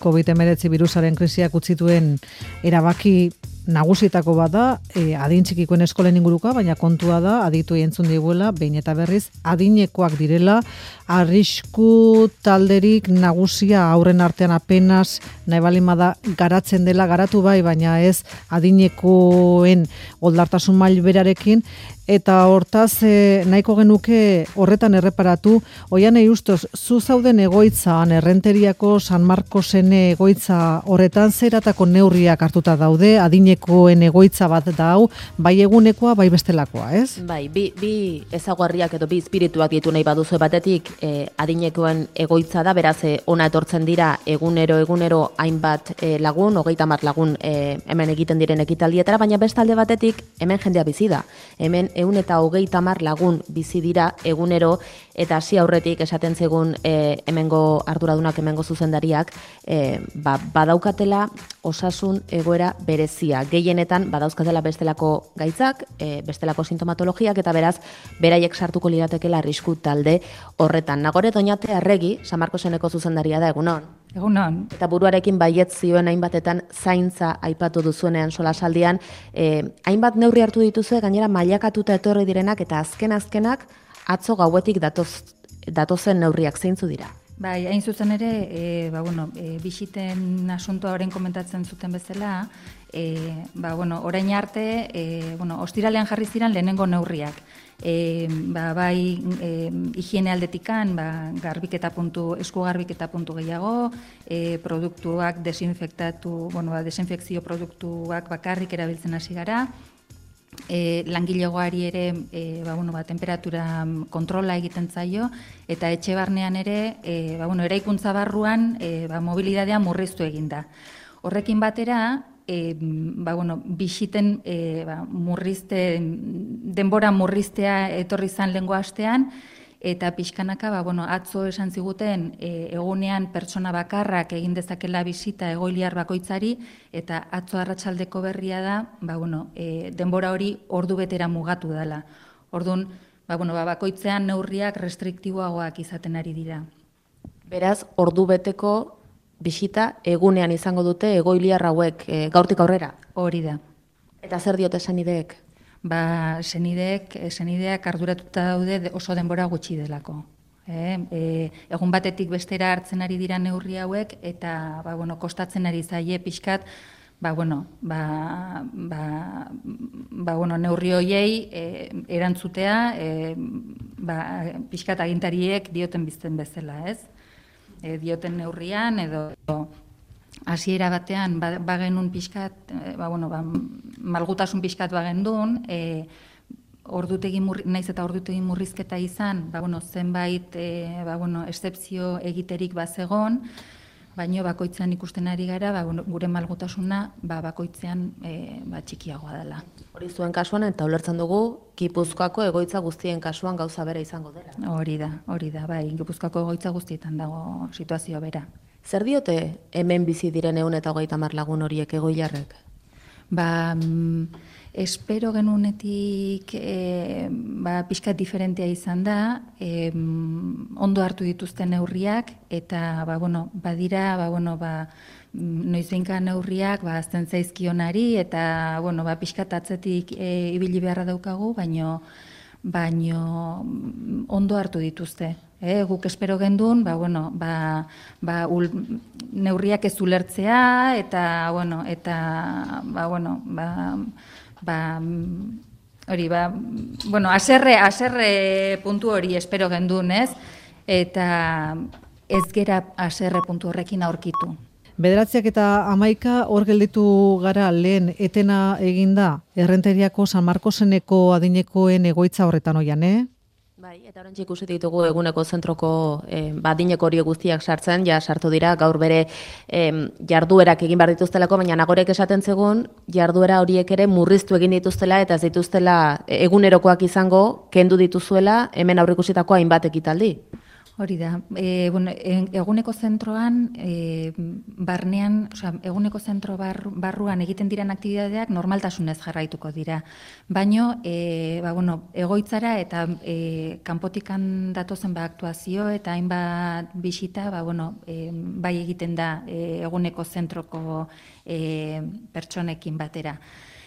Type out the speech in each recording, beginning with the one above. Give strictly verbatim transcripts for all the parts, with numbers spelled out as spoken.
covid hemeretzi birusaren krisiak utzituen erabaki nagusietako bat da, e, adin txikikoen eskolen inguruka, baina kontua da, aditu entzun diguela, behin eta berriz, adinekoak direla, arrisku talderik nagusia aurren artean apenas nahi balimada garatzen dela, garatu bai, baina ez adinekoen oldartasun mail berarekin, eta hortaz e, nahiko genuke horretan erreparatu, Oiane Justos, zu zauden egoitzan, Errenteriako San Marcosen egoitza horretan zeratako neurriak hartuta daude, adinekoen egoitza bat da hau, bai egunekoa, bai bestelakoa, ez? Bai, bi, bi ezaguarriak edo bi espirituak ditu nahi baduzu batetik, eh, adinekoen egoitza da, beraz eh, ona etortzen dira egunero egunero hainbat eh, lagun, hogeita hamar lagun eh, hemen egiten diren ekitaldietara, baina bestalde batetik hemen jendea bizi da. Hemen ehun eta hogeita hamar lagun bizi dira egunero, eta hasi aurretik esaten zegun e, hemengo arduradunak, hemengo zuzendariak, e, ba, badaukatela osasun egoera berezia. Gehienetan badauzkatela bestelako gaitzak, e, bestelako sintomatologiak, eta beraz, beraiek sartuko liratekela arrisku talde horretan. Nagore Doñate Arregi, San Marcoseneko zuzendaria da, egunon. Egunon. Eta buruarekin baietz zioen hainbatetan zaintza aipatu duzuenean solasaldian, eh, hainbat neurri hartu dituzue, gainera mailakatuta etorri direnak, eta azken-azkenak atzo gauetik datoz, datozen neurriak zeintzu dira. Bai, hain zuzen ere, e, ba, bueno, e, bisiten asuntoa orain komentatzen zuten bezala, e, ba, bueno, orain arte, e, bueno, ostiralean jarri ziren lehenengo neurriak. E, ba, bai, e, higiene aldetikan, ba, garbiketa puntu, esku garbiketa puntu gehiago, e, produktuak desinfektatu, bueno, ba, desinfekzio produktuak bakarrik erabiltzen hasi gara, E, langilegoari ere e, ba, bueno, ba, temperatura kontrola egiten zaio, eta etxe barnean ere e, ba, bueno, eraikuntza barruan e, ba, mobilidadea murriztu egin da. Horrekin batera, e, ba, bueno, bisiten e, ba, murrizte, denbora murriztea etorri zan lehengo astean, eta pixkanaka, ba, bueno, atzo esan ziguten e, egunean pertsona bakarrak egin dezakela bisita egoiliar bakoitzari, eta atzo arratsaldeko berria da, ba, bueno, e, denbora hori ordu betera mugatu dela. Orduan, ba, bueno, ba, bakoitzean neurriak restriktiboagoak izaten ari dira. Beraz, ordu beteko bisita egunean izango dute egoiliar hauek e, gaurtik aurrera? Hori da. Eta zer diote senideek? Ba, senideek, senideak arduratuta daude oso denbora gutxi delako. E, e, egun batetik bestera hartzen ari dira neurri hauek, eta ba, bueno, kostatzen ari zaie pixkat, ba, bueno, ba, ba, ba, bueno, neurri hoiei e, erantzutea, e, ba, pixkat agintariek dioten bizten bezala, ez? E, dioten neurrian, edo hasiera batean bagenun pixkat, ba, bueno, ba, malgutasun pixkat bagendun, e, ordutegi murri, naiz eta ordutegi murrizketa izan, ba, bueno, zenbait e, ba, bueno, excepzio egiterik bazegon, baino bakoitzean ikusten ari gara, ba, bueno, gure malgutasuna ba, bakoitzean e, ba, txikiagoa dela. Hori zuen kasuan, eta ulertzen dugu, Gipuzkoako egoitza guztien kasuan gauza bera izango dela. Hori da, hori da, bai, Gipuzkoako egoitza guztietan dago situazioa bera. Zer diote hemen bizi diren ehun eta hogeita hamar lagun horiek egoilarrek? Ba, mm, espero genunetik e, ba, pixkat diferentea izan da, e, ondo hartu dituzten neurriak, eta ba, bueno, badira, ba, bueno, ba, noizbeinka neurriak ba, azten zaizkionari, eta bueno, ba, pixkat atzetik e, ibili beharra daukagu, baino, baino ondo hartu dituzte. E, guk espero gendun, ba, bueno, ba, ba, ul, neurriak ez ulertzea, eta, bueno, eta, ba, bueno, ba, ba, hori, ba, bueno, aserre, aserre puntu hori espero gendun, ez? Eta ez gera aserre puntu horrekin aurkitu. Bederatziak eta hamaika hor gelditu gara lehen etena eginda Errenteriako San Marcoseneko adinekoen egoitza horretan oian, eh? Bai, eta oraintxe ikusi ditugu eguneko zentroko eh, adineko hori guztiak sartzen, ja sartu dira gaur bere eh, jarduerak egin behar dituztelako, baina nagorek esaten zegun jarduera horiek ere murriztu egin dituztela eta ez dituztela egunerokoak izango kendu dituzuela hemen aurreikusitako hainbat ekitaldi. Hori da. E, bueno, eguneko zentroan, e, barnean, osea, eguneko zentro bar, barruan egiten diren aktibidadeak normaltasunez jarraituko dira. Baino, e, ba, bueno, egoitzara eta e, kanpotikan datozen ba, aktuazio eta hainbat bisita, ba, bueno, e, bai egiten da e, eguneko zentroko e, pertsonekin batera.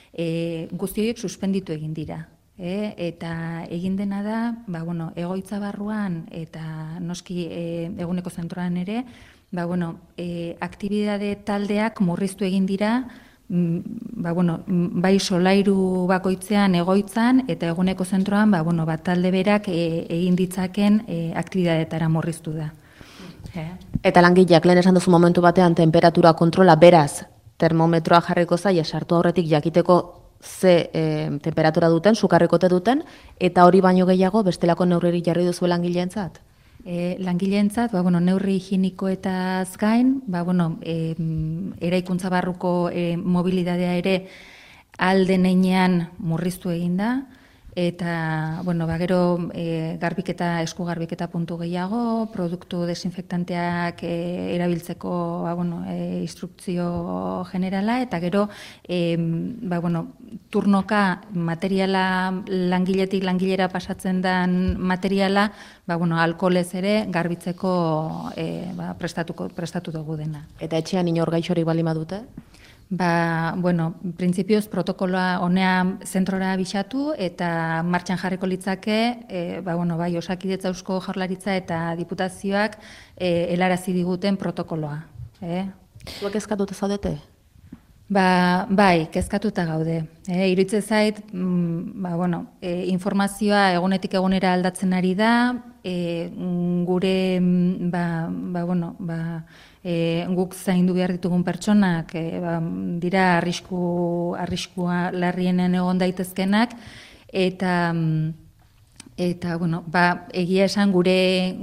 E, guzti horiek suspenditu egin dira. E, eta egin dena da, ba, bueno, egoitza barruan eta noski e, eguneko zentroan ere, ba, bueno, e, aktibidade taldeak murriztu egin dira, m, ba, bueno, bai solairu bakoitzean egoitzan eta eguneko zentroan ba, bueno, ba, talde berak e, egin ditzaken e, aktibidadetara murriztu da. E. Eta langileak lehen esan duzu momentu batean temperatura kontrola beraz termometroa jarriko zaia sartu aurretik jakiteko ze e, temperatura duten, sukarrikote duten, eta hori baino gehiago bestelako neurririk jarri duzu langileentzat? E, langileentzat, ba, bueno, neurri higienikoetaz gain, ba, bueno, e, eraikuntza barruko e, mobilidadea ere alden heinean murriztu egin da, eta, bueno, ba, gero e, garbiketa, esku garbiketa puntu gehiago, produktu desinfektanteak e, erabiltzeko ba, bueno, e, instrukzio generala, eta gero e, ba, bueno, turnoka materiala langiletik langilera pasatzen den materiala, ba, bueno, alkoholez ere garbitzeko e, ba, prestatuko, prestatu dugu dena. Eta etxean inor gaixorik bali badute? Ba, bueno, printzipioz protokoloa honea zentrora bisatu eta martxan jarriko litzake, e, ba, bueno, bai, Osakidetza, Eusko Jaurlaritza eta Diputazioak e, helarazi diguten protokoloa. Eh? Zuek kezkatuta zaudete? Ba, bai, kezkatuta gaude. E, Iruditzen zait, mm, ba, bueno, e, informazioa egunetik egunera aldatzen ari da, e, gure, ba, ba, bueno, ba, E, guk zaindu behar ditugun pertsonak e, ba, dira arrisku, arriskua larrienen egon daitezkenak eta eta bueno, ba, egia esan gure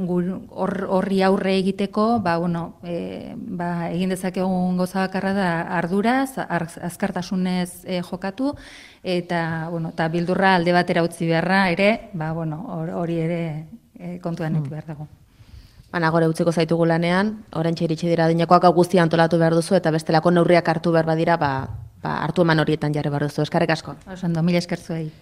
horri aurre egiteko ba, bueno, e, ba, egin dezakegun gauza bakarra da arduraz, azkartasunez e, jokatu eta bueno, ta bildurra alde batera utzi beharra ere, ba, bueno, hori ere e, kontuan eduki behar dago. Baina gore utziko zaitugu lanean, oraintxe iritsi dira adinekoak guztia antolatu behar duzu eta bestelako neurriak hartu behar badira, ba, ba, hartu eman horietan jarri behar duzu. Eskerrik asko. Oso ondo, mila esker zuei.